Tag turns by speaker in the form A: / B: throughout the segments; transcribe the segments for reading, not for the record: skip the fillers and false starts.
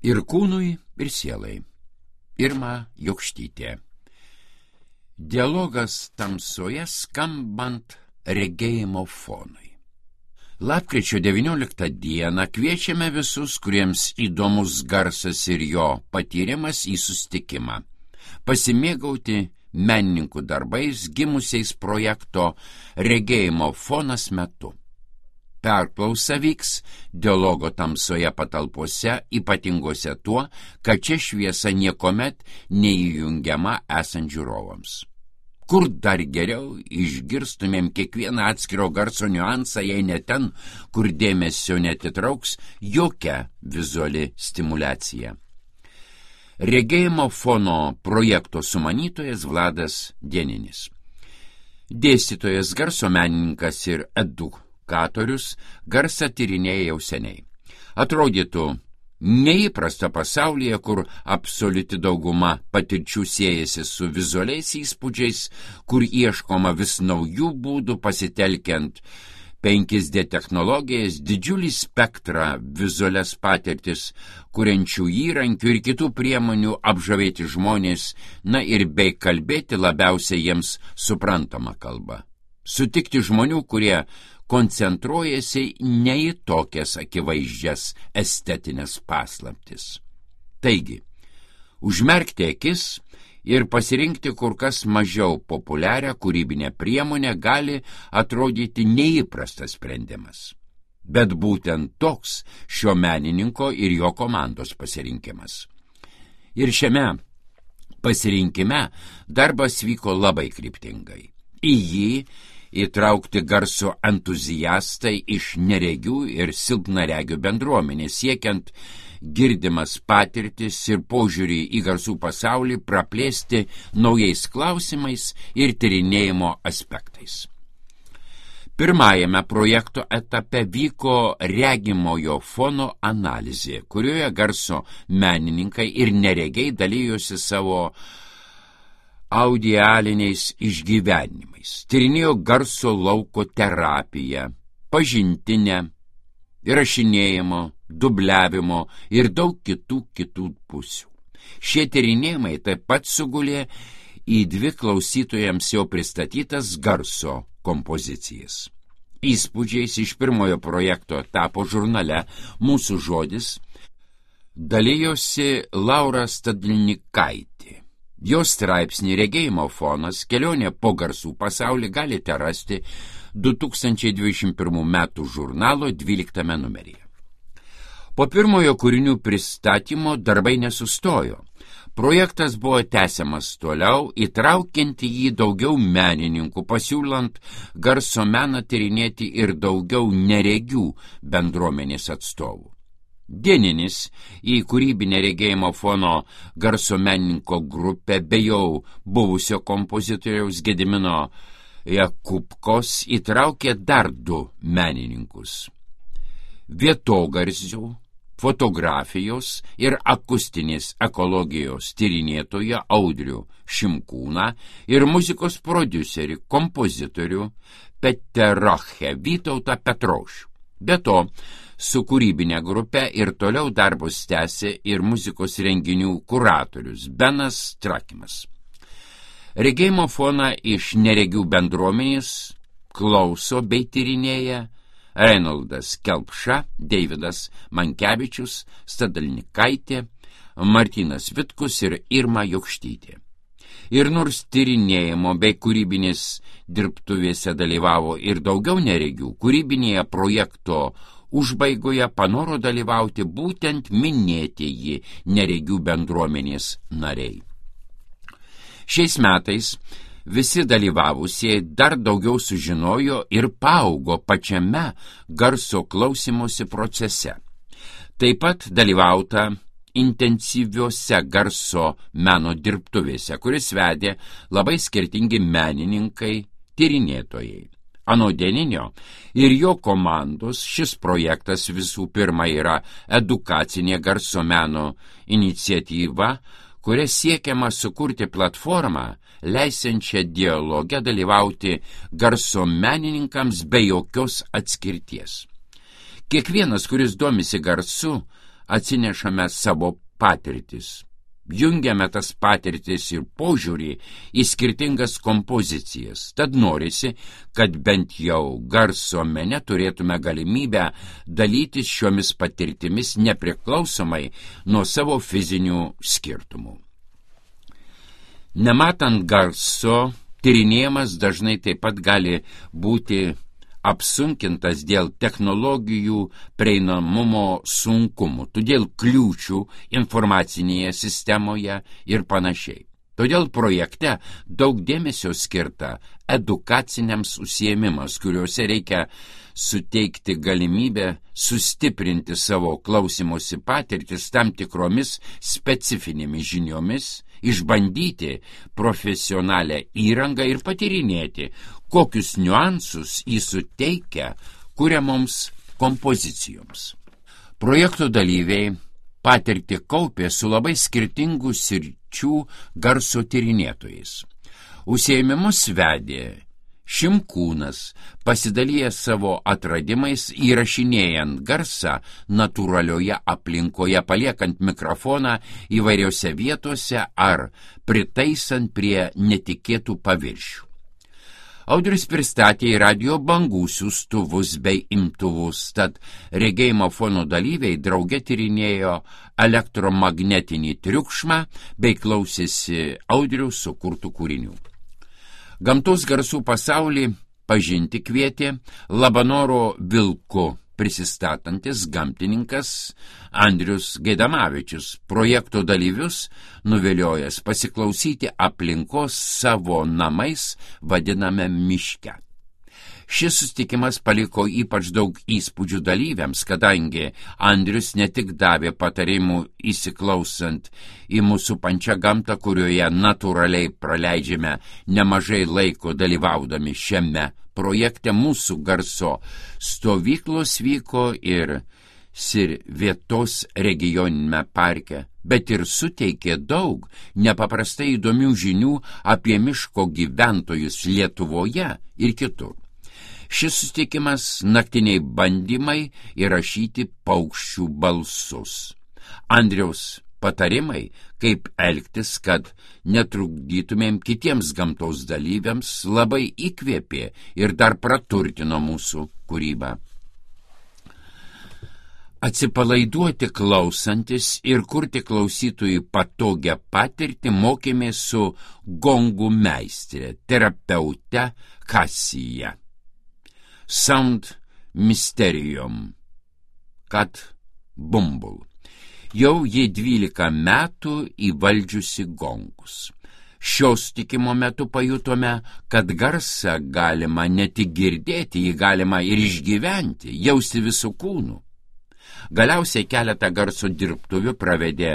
A: Ir kūnui, ir sielai. Irma Jokštytė. Dialogas tamsoje skambant regėjimo fonui. Lapkričio 19 dieną kviečiame visus, kuriems įdomus garsas ir jo patyrimas į susitikimą, pasimėgauti menininkų darbais gimusiais projekto regėjimo fonas metu. Perklausa vyks dialogo tamsoje patalpose, ypatingose tuo, kad čia šviesa niekomet neįjungiama esant žiūrovams. Kur dar geriau išgirstumėm kiekvieną atskiro garso niuansą, jei ne ten, kur dėmesio netitrauks jokia vizuali stimulacija. Regėjimo fono projekto sumanytojas Vladas Dieninis. Dėstytojas, garso menininkas ir edukatorius garsą tyrinėja jau seniai. Atrodytų neįprasta pasaulyje, kur absoliuti dauguma patirčių siejasi su vizualiais įspūdžiais, kur ieškoma vis naujų būdų pasitelkiant 5D technologijas, didžiulį spektrą vizualias patirtis, kuriančių įrankių ir kitų priemonių apžavėti žmonės, na ir bei kalbėti labiausiai jiems suprantamą kalbą. Sutikti žmonių, kurie koncentruojasi ne į tokias akivaizdžias estetinės paslaptis. Taigi, užmerkti akis ir pasirinkti kur kas mažiau populiarią kūrybinę priemonę gali atrodyti neįprastas sprendimas. Bet būtent toks šio menininko ir jo komandos pasirinkimas. Ir šiame pasirinkime darbas vyko labai kryptingai. Į jį įtraukti garso entuziastai iš neregių ir silpnaregių bendruomenės, siekiant girdimas patirtis ir požiūrį į garsų pasaulį praplėsti naujais klausimais ir tyrinėjimo aspektais. Pirmajame projekto etape vyko regimojo fono analizė, kurioje garso menininkai ir neregiai dalyjosi savo audialiniais išgyvenimais, tyrinėjo garso lauko terapiją, pažintinę, įrašinėjimo, dubliavimo ir daug kitų pusių. Šie tyrinėjimai taip pat sugulė į 2 klausytojams jau pristatytas garso kompozicijas. Įspūdžiais iš pirmojo projekto etapo žurnale Mūsų žodis dalijosi Laura Stadlnikaitė. Jos straipsnį regėjimo fonas kelionė po garsų pasaulį galite rasti 2021 metų žurnalo 12 numeryje. Po pirmojo kūrinių pristatymo darbai nesustojo. Projektas buvo tęsiamas toliau, įtraukiant į jį daugiau menininkų, pasiūlant garso meną tyrinėti ir daugiau neregių bendruomenės atstovų. Dieninis į kūrybinę regėjimo fono garso menininko grupę be jau buvusio kompozitoriaus Gedimino Jakubkos įtraukė dar 2 menininkus. Vietogarsių, fotografijos ir akustinės ekologijos tyrinėtoją Audrių Šimkūną ir muzikos prodiuserį, kompozitorių Peterachę Vytautą Petrošių. Be to, su kūrybinė grupė ir toliau darbus tęsė ir muzikos renginių kuratorius Benas Trakimas. Regėjimo foną iš neregių bendruomenės klauso bei tyrinėja Reinoldas Kelpša, Deividas Mankevičius, Stadlnikaitė, Martynas Vitkus ir Irma Jokštytė. Ir nors tyrinėjimo bei kūrybinės dirbtuvėse dalyvavo ir daugiau neregių, kūrybinėje projekto užbaigoje panoro dalyvauti būtent minėtieji neregių bendruomenės nariai. Šiais metais visi dalyvavusieji dar daugiau sužinojo ir paaugo pačiame garso klausymosi procese. Taip pat dalyvauta intensyviuose garso meno dirbtuvėse, kuris vedė labai skirtingi menininkai, tyrinėtojai. Anot Dieninio ir jo komandos šis projektas visų pirma yra edukacinė garso meno iniciatyva, kuria siekiama sukurti platformą, leisiančią dialoge dalyvauti garso menininkams be jokios atskirties. Kiekvienas, kuris domisi garsu, atsinešame savo patirtis. Jungiame tas patirtis ir požiūrį į skirtingas kompozicijas. Tad norisi, kad bent jau garso mene turėtume galimybę dalytis šiomis patirtimis nepriklausomai nuo savo fizinių skirtumų. Nematant garso, tyrinėjimas dažnai taip pat gali būti apsunkintas dėl technologijų prieinamumo sunkumų, todėl kliūčių informacinėje sistemoje ir panašiai. Todėl projekte daug dėmesio skirta edukaciniams užsiėmimams, kuriuose reikia suteikti galimybę sustiprinti savo klausymosi patirtis tam tikromis specifinėmis žiniomis, išbandyti profesionalią įrangą ir patyrinėti, kokius niuansus jis suteikia kuriamoms kompozicijoms. Projekto dalyviai patirtį kaupė su labai skirtingų sričių garso tyrinėtojais. Užsiėmimus vedė Šimkūnas, pasidalijęs savo atradimais, įrašinėjant garsą natūralioje aplinkoje, paliekant mikrofoną įvairiose vietose ar pritaisant prie netikėtų paviršių. Audrius pristatė į radijo bangų siųstuvus bei imtuvus, tad regėjimo fono dalyviai drauge tyrinėjo elektromagnetinį triukšmą bei klausėsi Audriaus sukurtų kūrinių. Gamtos garsų pasaulį pažinti kvietė Labanoro vilku prisistatantis gamtininkas Andrius Gaidamavičius, projekto dalyvius nuviliojęs pasiklausyti aplinkos savo namais vadiname miške. Šis susitikimas paliko ypač daug įspūdžių dalyviams, kadangi Andrius ne tik davė patarimų įsiklausant į mūsų pačią gamtą, kurioje natūraliai praleidžiame nemažai laiko dalyvaudami šiame projekte. Mūsų garso stovyklos vyko ir Sirvietos regioninėme parke, bet ir suteikė daug nepaprastai įdomių žinių apie miško gyventojus Lietuvoje ir kitur. Šis susitikimas naktiniai bandymai įrašyti paukščių balsus. Andriaus patarimai, kaip elgtis, kad netrukdytumėm kitiems gamtos dalyviams, labai įkvėpė ir dar praturtino mūsų kūrybą. Atsipalaiduoti klausantis ir kurti klausytojui patogią patirtį mokėmės su gongų meistrė, terapeute Kasija. Sound Mysterium, Kat Bumbul. Jau jie 12 metų įvaldžiusi gongus. Šios tikimo metu pajutome, kad garsą galima ne tik girdėti, jį galima ir išgyventi, jausti visų kūnų. Galiausiai keletą garso dirbtuvių pravedė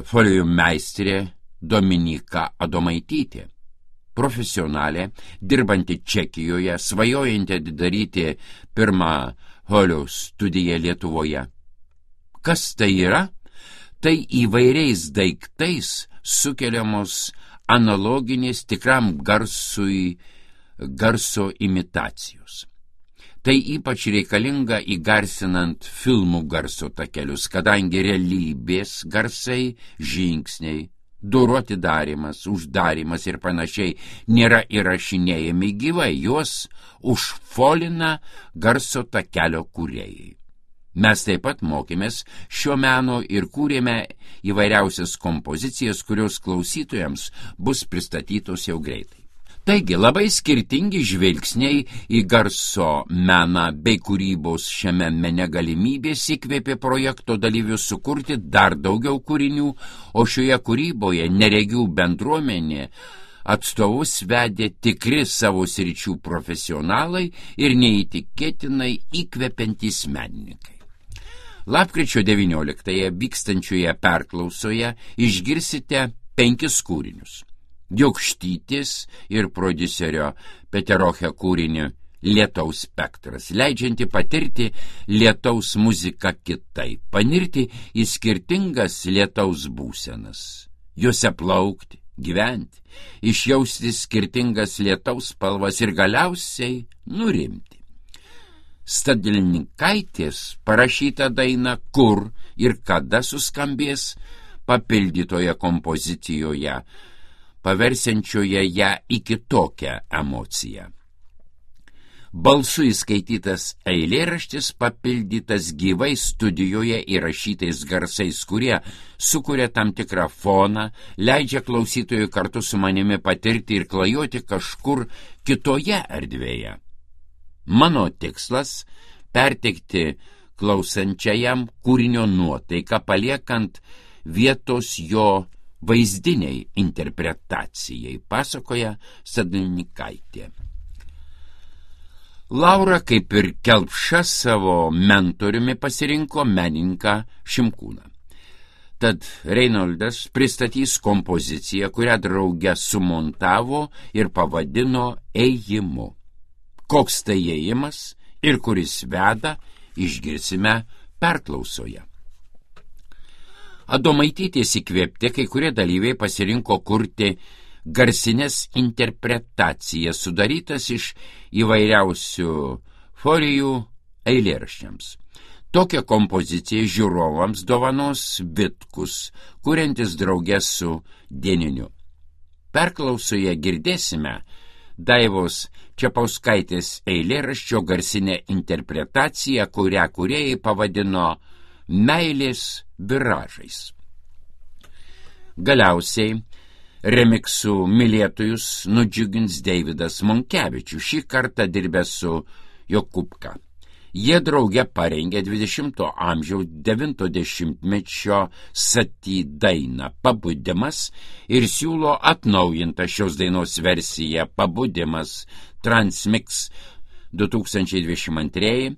A: folijų meistrė Dominika Adomaitytė. Profesionalė, dirbanti Čekijoje, svajojanti atidaryti pirmą folio studiją Lietuvoje. Kas tai yra? Tai įvairiais daiktais sukeliamos analoginės tikram garsui garso imitacijos. Tai ypač reikalinga įgarsinant filmų garso takelius, kadangi realybės garsai, žingsniai, durų atidarymas, uždarymas ir panašiai nėra įrašinėjami gyvai, juos užfolina garso takelio kūrėjai. Mes taip pat mokėmės šio meno ir kūrėme įvairiausias kompozicijas, kurios klausytojams bus pristatytos jau greitai. Taigi labai skirtingi žvilgsniai į garso meną bei kūrybos šiame mene galimybės įkvėpė projekto dalyvius sukurti dar daugiau kūrinių, o šioje kūryboje neregių bendruomenė atstovus vedė tikri savo sričių profesionalai ir neįtikėtinai įkvepiantys menininkai. Lapkričio 19-ąją vykstančioje perklausoje išgirsite 5 kūrinius. Jokštytis ir prodiuserio Peteroche kūrinį Lietaus spektras, leidžianti patirti lietaus muziką kitaip, panirti į skirtingas lietaus būsenas, juose plaukti, gyventi, išjausti skirtingas lietaus spalvas ir galiausiai nurimti. Stadlinikaitės parašyta daina Kur ir kada suskambės papildytoje kompozicijoje, paversiančioje ją į kitokią emociją. Balsu įskaitytas eilėraštis papildytas gyvai studijoje įrašytais garsais, kurie sukuria tam tikrą foną, leidžia klausytojui kartu su manimi patirti ir klajoti kažkur kitoje erdvėje. Mano tikslas – perteikti klausančiajam kūrinio nuotaiką, paliekant vietos jo vaizdiniai interpretacijai, pasakoja Stadlinikaitė. Laura, kaip ir Kelpša, savo mentoriumi pasirinko menininką Šimkūną. Tad Reinoldas pristatys kompoziciją, kurią drauge sumontavo ir pavadino Ėjimu. Koks tai ėjimas ir kuris veda, išgirsime perklausoje. Adomaitytės įkvėpti kai kurie dalyviai pasirinko kurti garsinės interpretacijas, sudarytas iš įvairiausių forijų eilėraščiams. Tokią kompoziciją žiūrovams dovanos Vitkus, kuriantis drauge su Dieniniu. Perklausoje girdėsime Daivos Čepauskaitės eilėraščio garsinę interpretaciją, kurią kūrėjai pavadino Meilės viražais. Galiausiai remiksų mylėtojus nudžiugins Deividas Monkevičius, šį kartą dirbęs su Jokubka. Jie drauge parengė 20 amžiaus 90-mečio Sati dainą Pabudimas ir siūlo atnaujintą šios dainos versiją Pabudimas Transmix 2022,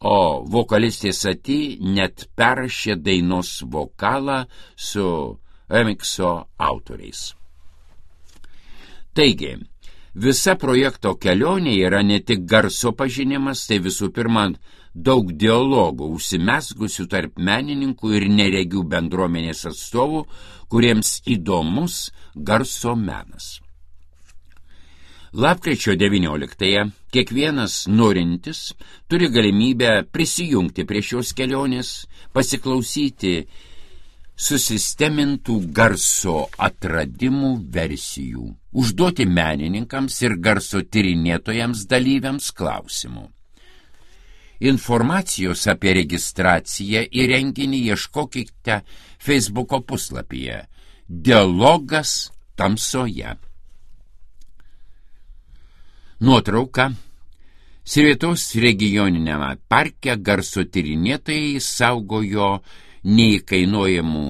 A: o vokalistė Sati net perrašė dainos vokalą su remikso autoriais. Taigi, visa projekto kelionė yra ne tik garso pažinimas, tai visų pirma daug dialogų užsimezgusių tarp menininkų ir neregių bendruomenės atstovų, kuriems įdomus garso menas. Lapkričio 19-ąją kiekvienas norintis turi galimybę prisijungti prie šios kelionės, pasiklausyti susistemintų garso atradimų versijų, užduoti menininkams ir garso tyrinėtojams dalyviams klausimų. Informacijos apie registraciją į renginį ieškokite Facebooko puslapyje Dialogas tamsoje. Nuotrauka. Sirvietos regioniniame parke garso tyrinėtojai saugojo neįkainuojamų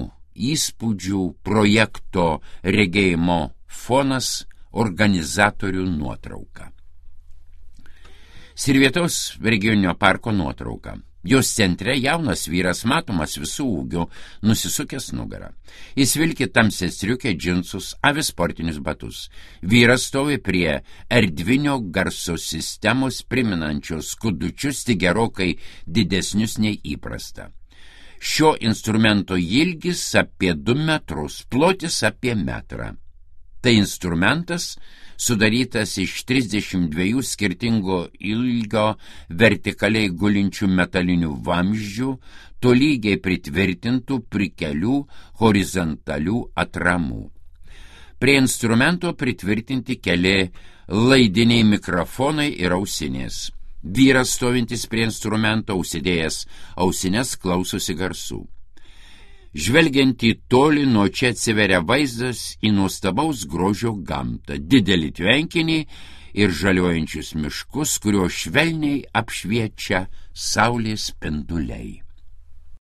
A: įspūdžių projekto regėjimo fonas organizatorių nuotrauka. Sirvietos regioninio parko nuotrauka. Jos centre jaunas vyras, matomas visų ūgių, nusisukęs nugarą. Jis vilki tamsią striukę, džinsus, avi sportinius batus. Vyras stovi prie erdvinio garso sistemos priminančios skudučius, tik gerokai didesnius nei įprasta. Šio instrumento ilgis apie 2 metrus, plotis apie metrą. Tai instrumentas sudarytas iš 32 skirtingo ilgio vertikaliai gulinčių metalinių vamzdžių, tolygiai pritvirtintų prikelių horizontalių atramų. Prie instrumento pritvirtinti keli laidiniai mikrofonai ir ausinės. Vyras stovintis prie instrumento, užsidėjęs ausines, klausosi garsų. Žvelgiant į tolį, nuo čia atsiveria vaizdas į nuostabaus grožio gamtą, didelį tvenkinį ir žaliuojančius miškus, kurio švelniai apšviečia saulės spinduliai.